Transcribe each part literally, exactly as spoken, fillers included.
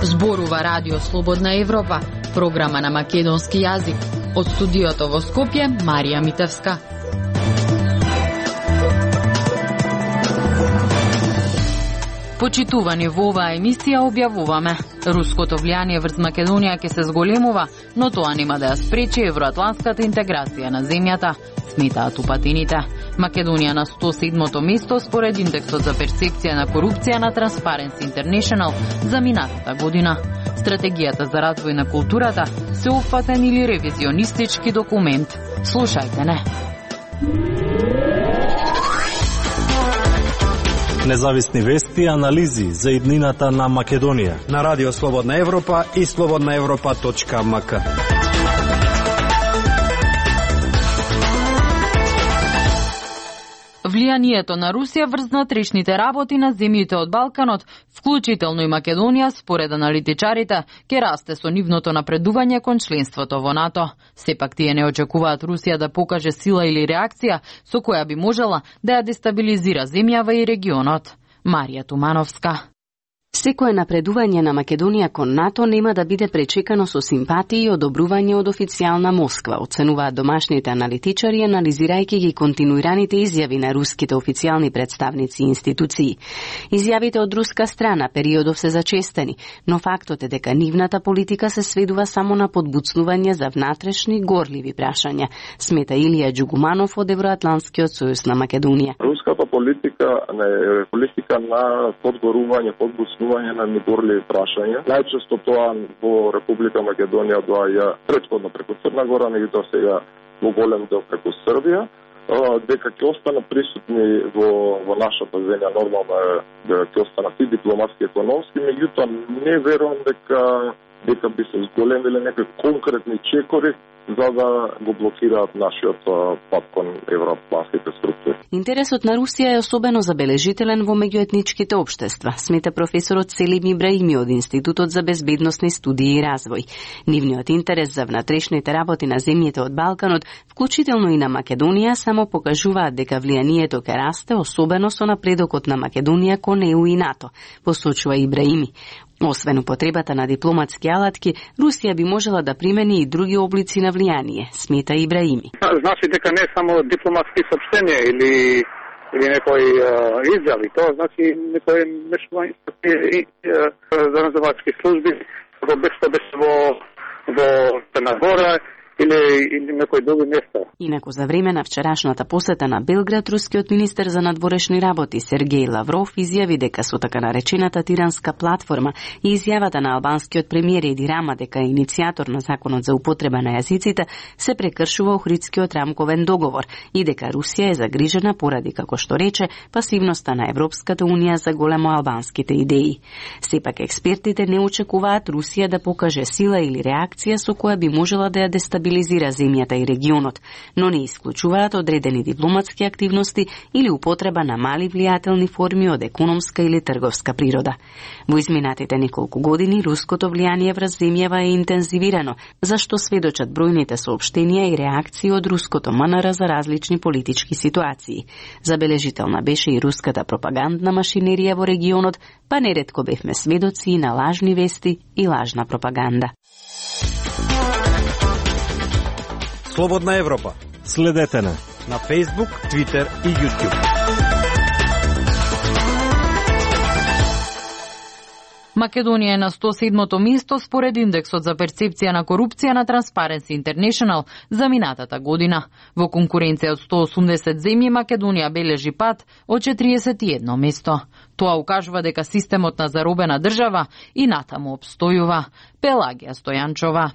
Зборува Радио Слободна Европа, програма на македонски јазик. Од студиото во Скопје, Марија Митевска. Почитувани во оваа емисија објавуваме: руското влијание врз Македонија ќе се зголемува, но тоа нема да ја спречи евроатлантската интеграција на земјата, сметаат упатините. Македонија на сто седмото место според индексот за перцепција на корупција на Transparency International за минатата година. Стратегијата за развој на културата се опфатен или ревизионистички документ. Слушајте не. Независни вести и анализи за иднината на Македонија на Радио Слободна Европа и слободна европа точка ем ка. Влијанието на Русија врз внатрешните работи на земјите од Балканот, вклучително и Македонија, според аналитичарите, ќе расте со нивното напредување кон членството во НАТО. Сепак тие не очекуваат Русија да покаже сила или реакција со која би можела да ја дестабилизира земјава и регионот. Марија Тумановска. Секое напредување на Македонија кон НАТО нема да биде пречекано со симпатии и одобрување од официјална Москва, оценуваат домашните аналитичари, анализирајќи ги континуираните изјави на руските официјални представници и институции. Изјавите од руска страна периодов се зачестени, но фактот е дека нивната политика се сведува само на подбуцнување за внатрешни горливи прашања, смета Илија Џугуманов од Евроатлантскиот сојуз на Македонија. Руската политика е политика на подгорување, подбуцнување на негорливи прашања. Најчесто тоа во Република Македонија доаѓа претходно преку Црна Гора, меѓутоа сега во голем дел преку Србија, дека ќе останат присутни во, во нашата земја, нормално е дека ќе останат и дипломатски, економски, меѓутоа не верувам дека дека би се зголемиле некои конкретни чекори за да го блокираат нашиот пат кон евроатлантските структури. Интересот на Русија е особено забележителен во меѓуетничките општества, смета професорот Селим Ибраими од Институтот за безбедносни студии и развој. Нивниот интерес за внатрешните работи на земјите од Балканот, вклучително и на Македонија, само покажуваат дека влијанието ќе расте, особено со напредокот на Македонија кон Е У и НАТО, посочува Ибраими. Освен употребата на дипломатски алатки, Русија би можела да примени и други облици на влијание, смета Ибраими. Значи дека не само дипломатски сообщенија или или некои изјави, тоа значи некои мешување и заразувачки служби, во бешто беше во во Црна Гора или или некои други места. Инаку за време на вчерашната посета на Белград, рускиот министер за надворешни работи Сергеј Лавров изјави дека со така наречената тиранска платформа и изјавата на албанскиот премиер Еди Рама дека е иницијатор на законот за употреба на јазиците се прекршува Охридскиот рамковен договор и дека Русија е загрижена поради, како што рече, пасивноста на Европската унија за големо албанските идеи. Сепак експертите не очекуваат Русија да покаже сила или реакција со која би можела да ја дестабилизира земјата и регионот, но не исклучуваат одредени дипломатски активности или употреба на мали влијателни форми од економска или трговска природа. Во изминатите неколку години руското влијание врз земјава е интензивирано, зашто сведочат бројните соопштенија и реакции од руското М Н Р за различни политички ситуации. Забележителна беше и руската пропагандна машинерија во регионот, па неретко бевме сведоци и на лажни вести и лажна пропаганда. Слободна Европа. Следете на на Facebook, Twitter и YouTube. Македонија е на сто седмото место според индексот за перцепција на корупција на Transparency International за минатата година. Во конкуренција од сто осумдесет земји Македонија бележи пат од четириесет и едно место. Тоа укажува дека системот на заробена држава и натаму обстојува. Пелагија Стојанчова.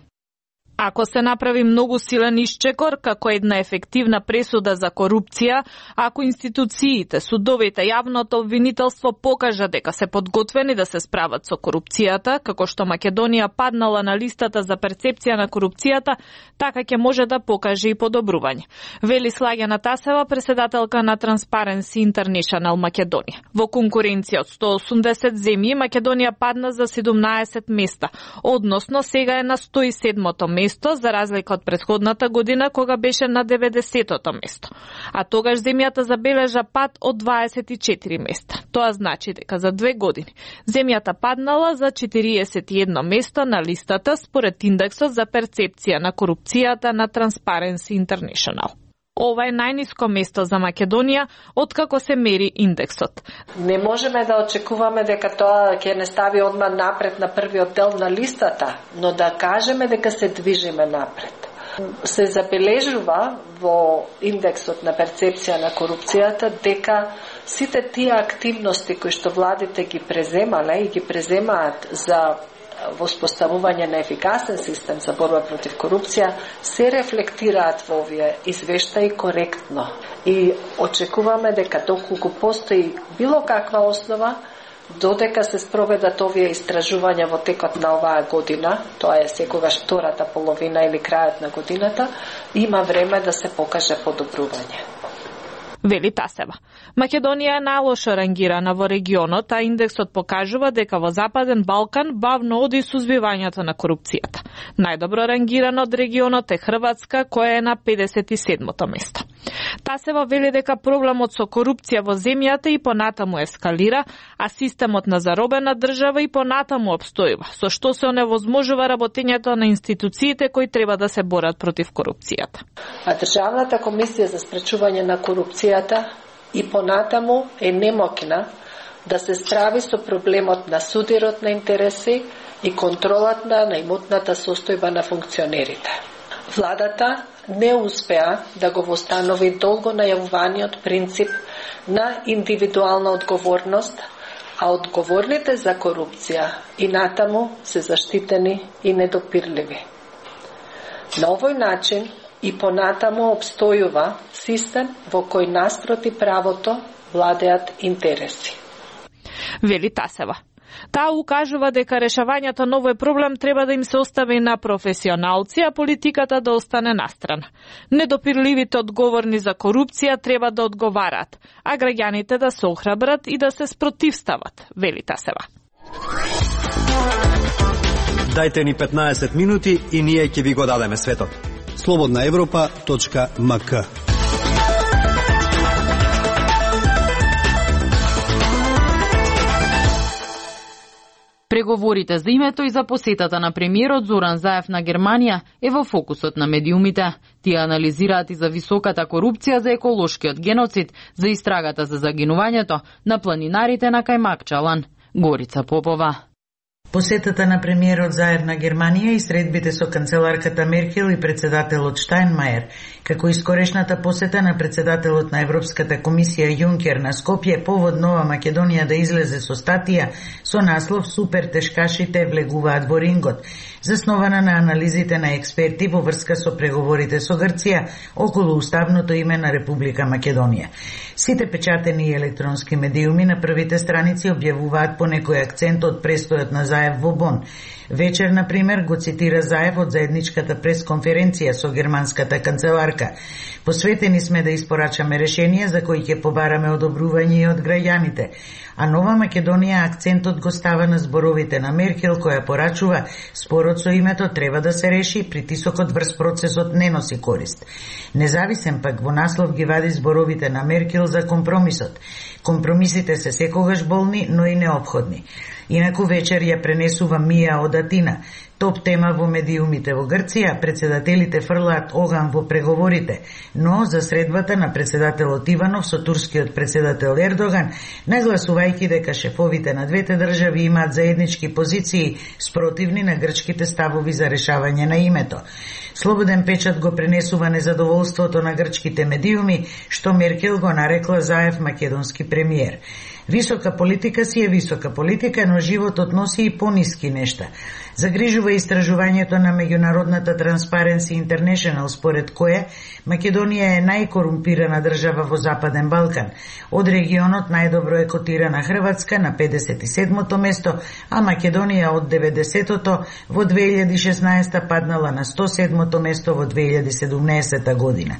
Ако се направи многу силен исчекор како една ефективна пресуда за корупција, ако институциите, судовите, јавното обвинителство покажа дека се подготвени да се справат со корупцијата, како што Македонија паднала на листата за перцепција на корупцијата, така ќе може да покаже и подобрување. Вели Слагјана Тасева, преседателка на Transparency International Македонија. Во конкуренција од сто осумдесет земји, Македонија падна за седумнаесет места, односно сега е на сто и седмото место место за разлика од претходната година кога беше на деветдесетото место. А тогаш земјата забележа пад од дваесет и четири места. Тоа значи дека за две години земјата паднала за четириесет и едно место на листата според индексот за перцепција на корупцијата на Transparency International. Ова е најниско место за Македонија откако се мери индексот. Не можеме да очекуваме дека тоа ќе не стави одма напред на првиот дел на листата, но да кажеме дека се движиме напред. Се забележува во индексот на перцепција на корупцијата дека сите тие активности кои што владите ги преземале и ги преземаат за воспоставување на ефикасен систем за борба против корупција се рефлектираат во овие извештаи коректно. И очекуваме дека доколку постои било каква основа, додека се спроведат овие истражувања во текот на оваа година, тоа е секогаш втората половина или крајот на годината, има време да се покаже подобрување. Вели Тасева. Македонија е најлошо рангирана во регионот, а индексот покажува дека во Западен Балкан бавно оди сузбивањето на корупцијата. Најдобро рангирано од регионот е Хрватска, која е на педесет и седмото место. Тасева вели дека проблемот со корупција во земјата и понатаму ескалира, а системот на заробена држава и понатаму обстојува, со што се оневозможува работењето на институциите кои треба да се борат против корупцијата. А Државната комисија за спречување на корупцијата и понатаму е немокна да се справи со проблемот на судирот на интереси и контролата на имотната состојба на функционерите. Владата не успеа да го востанови долго најавуваниот принцип на индивидуална одговорност, а одговорните за корупција и натаму се заштитени и недопирливи. На овој начин и понатаму обстојува систем во кој наспроти правото владеат интереси. Вели Тасева. Таа укажува дека решавањето на овој проблем треба да им се остави на професионалци, а политиката да остане настрана. Недопирливите одговорни за корупција треба да одговараат, а граѓаните да се охрабрат и да се спротивстават, вели Тасева. Дајте ни петнаесет минути и ние ќе ви го дадеме светот. слободна европа точка ем ка. Преговорите за името и за посетата на премиерот Зоран Заев на Германија е во фокусот на медиумите. Тие анализираат и за високата корупција, за еколошкиот геноцид, за истрагата за загинувањето на планинарите на Кајмакчалан. Горица Попова. Посетата на премиерот Заев на Германија и средбите со канцеларката Меркел и председателот Штајнмајер, како и скорешната посета на председателот на Европската комисија Јункер на Скопје, повод Нова Македонија да излезе со статија со наслов "Супер тешкашите влегуваат во рингот", заснована на анализите на експерти во врска со преговорите со Грција околу уставното име на Република Македонија. Сите печатени и електронски медиуми на првите страници објавуваат по некој акцент од престојот на Заев во Бон. Вечер, на пример, го цитира Заев од заедничката пресконференција со германската канцеларка. Посветени сме да испорачаме решение за кои ќе побараме одобрување и од граѓаните. А Нова Македонија акцентот го става на зборовите на Меркел, која порачува спорот со името треба да се реши, притисокот врз процесот не носи корист. Независен пак во наслов ги вади зборовите на Меркел за компромисот. Компромисите се секогаш болни, но и неопходни. Инаку вечер ја пренесува Мија од Атина. Топ тема во медиумите во Грција, председателите фрлаат оган во преговорите, но за средбата на председателот Иванов со турскиот председател Ердоган, нагласувајќи дека шефовите на двете држави имаат заеднички позиции спротивни на грчките ставови за решавање на името. Слободен печат го пренесува незадоволството на грчките медиуми, што Меркел го нарекла Заев македонски премиер. Висока политика си е висока политика, но животот носи и пониски нешта. Загрижува истражувањето на меѓународната Transparency International, според кое Македонија е најкорумпирана држава во Западен Балкан. Од регионот најдобро е котирана Хрватска на педесет и седмото место, а Македонија од деветдесетото во две илјади и шеснаесета паднала на сто седмото место во две илјади и седумнаесета година.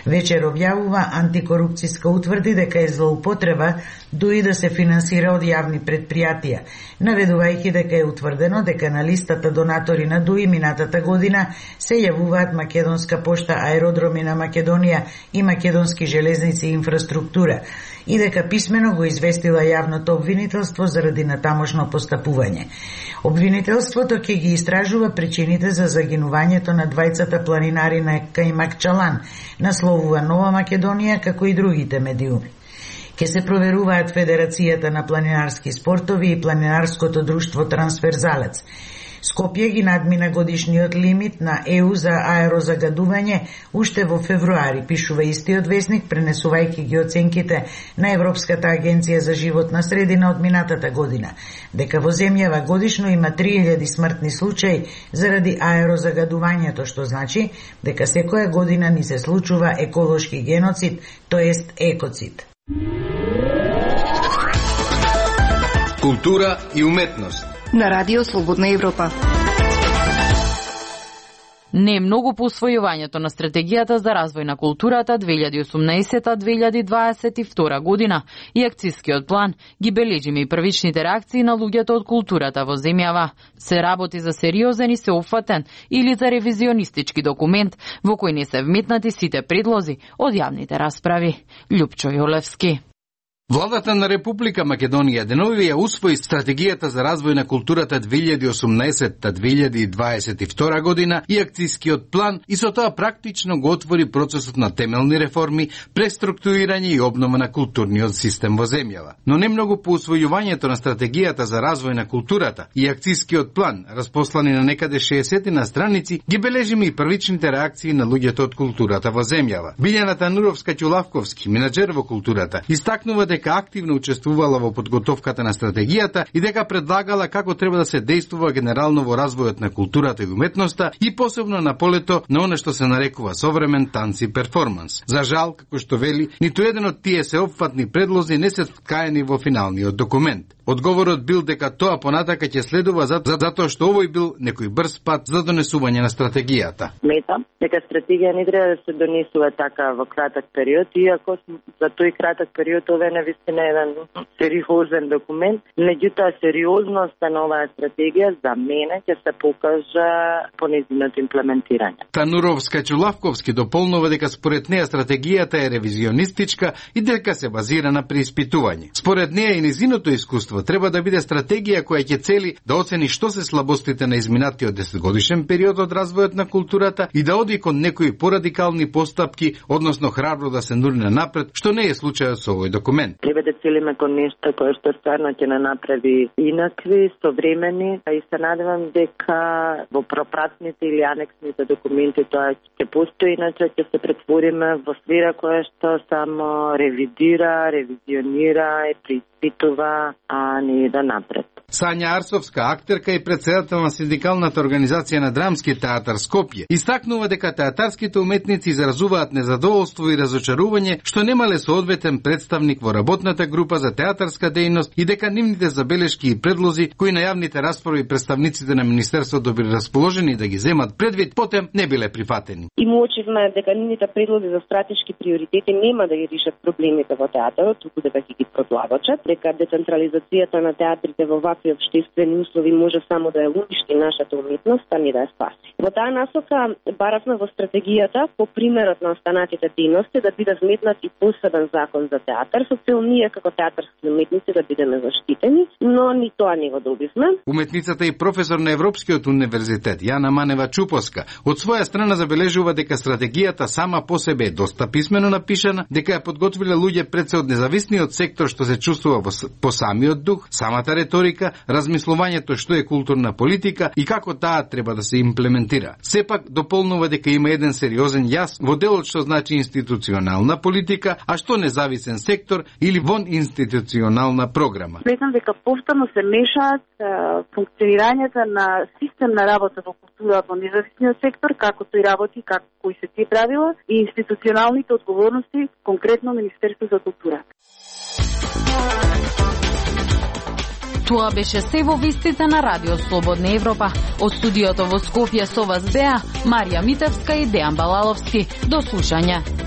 Вечер објавува антикорупцијска утврди дека е злоупотреба дуи да се финансира од јавни предпријатија, наведувајќи дека е утврдено дека на листа листата донатори на ДУИ минатата година се јавуваат Македонска пошта, Аеродроми на Македонија и Македонски железници и инфраструктура, и дека писмено го известила јавното обвинителство заради натамошно постапување. Обвинителството ќе ги истражува причините за загинувањето на двајцата планинари на Кајмакчалан, насловува Нова Македонија, како и другите медиуми. Ке се проверуваат Федерацијата на планинарски спортови и Планинарското друштво Трансферзалец. Скопје ги надмина годишниот лимит на Е У за аерозагадување уште во февруари, пишува истиот весник, пренесувајќи ги оценките на Европската агенција за животна средина од минатата година, дека во земјава годишно има три илјади смртни случаи заради аерозагадувањето, што значи дека секоја година ни се случува еколошки геноцид, тоест екоцид. Култура и уметност на Радио Слободна Европа. Не е многу по усвојувањето на стратегијата за развој на културата две илјади и осумнаесета - две илјади и дваесет и втора година и акцискиот план ги бележиме и првичните реакции на луѓето од културата во земјава. Се работи за сериозен и сеопфатен или за ревизионистички документ во кој не се вметнати сите предлози од јавните расправи. Љупчо Јолевски. Владата на Република Македонија денови ја усвои стратегијата за развој на културата две илјади и осумнаесета - две илјади и дваесет и втора година и акцискиот план и со тоа практично го отвори процесот на темелни реформи, преструктурирање и обнова на културниот систем во земјава. Но не многу по усвојувањето на стратегијата за развој на културата и акцискиот план, распослани на некаде шеесет на страници, ги бележиме и првичните реакции на луѓето од културата во земјава. Билјана Тануровска-Ќулавковски, менаџер во културата, истакнува дека активно учествувала во подготовката на стратегијата и дека предлагала како треба да се действува генерално во развојот на културата и уметноста и посебно на полето на оно што се нарекува современ танц и перформанс. За жал, како што вели, ниту еден од тие сеопфатни предлози не се вткаени во финалниот документ. Одговорот бил дека тоа понатака ќе следува затоа што овој бил некој брз пат за донесување на стратегијата. Сметам дека стратегија не треба да се донесува така во краток период, иако за тој краток период ова е навистина еден сериозен документ. Меѓутоа сериозноста на оваа стратегија за мене ќе се покажа по нејзиното имплементирање. Тануровска-Ќулавковски дополнува дека според неја стратегијата е ревизионистичка и дека се базира на преиспитување. Според неја и нејзиното искуство треба да биде стратегија која ќе цели да оцени што се слабостите на изминатиот десетгодишен период од развојот на културата и да оди кон некои порадикални постапки, односно храбро да се нурне напред, што не е случајот со овој документ. Треба да целиме кон нешто кое што стварно ќе не направи инакви, современи, и се надевам дека во пропратните или анексните документи тоа ќе постои, иначе ќе се претвориме во сфера која што само ревидира, ревизионира и преиспитува, а не да напред. Сања Арсовска, актерка и председател на Синдикалната организација на Драмски театар Скопје, истакнува дека театарските уметници изразуваат незадоволство и разочарување што немале соодветен представник во работната група за театарска дејност и дека нивните забелешки и предлози кои на јавните расправи представниците на Министерството били расположени да ги земат предвид, потем не биле прифатени. И му очевме дека нивните предлози за стратешки приоритети нема да ги решат проблемите во театарот, туку дека ќе ги продлабочат, дека децентрализацијата на театрите во вакви општествени услови може само да ја уништи нашата уметност, а не да ја спаси. Во таа насока баравме во стратегијата по примерот на останатите дејности да биде вметнат и посебен закон за театар, со цел ние како театарски уметници да бидеме заштитени, но ни тоа не го добивме. Уметницата и професор на Европскиот универзитет Јана Манева Чупоска од своја страна забележува дека стратегијата сама по себе е доста писмено напишана, дека ја подготвиле луѓе пред се од независниот сектор што се чувствува по самиот дух, самата реторика, размислувањето што е културна политика и како таа треба да се имплементира. Сепак дополнува дека има еден сериозен јас во делот што значи институционална политика, а што независен сектор или вон институционална програма. Сметам дека повторно се мешаат функционирањето на систем на работа во култура во независниот сектор, како тој работи, како кои се тие правила и институционалните одговорности, конкретно Министерство за култура. Тоа беше се во вестите на Радио Слободна Европа. Од студиото во Скопје со вас беа Марија Митевска и Дејан Балаловски. До слушање.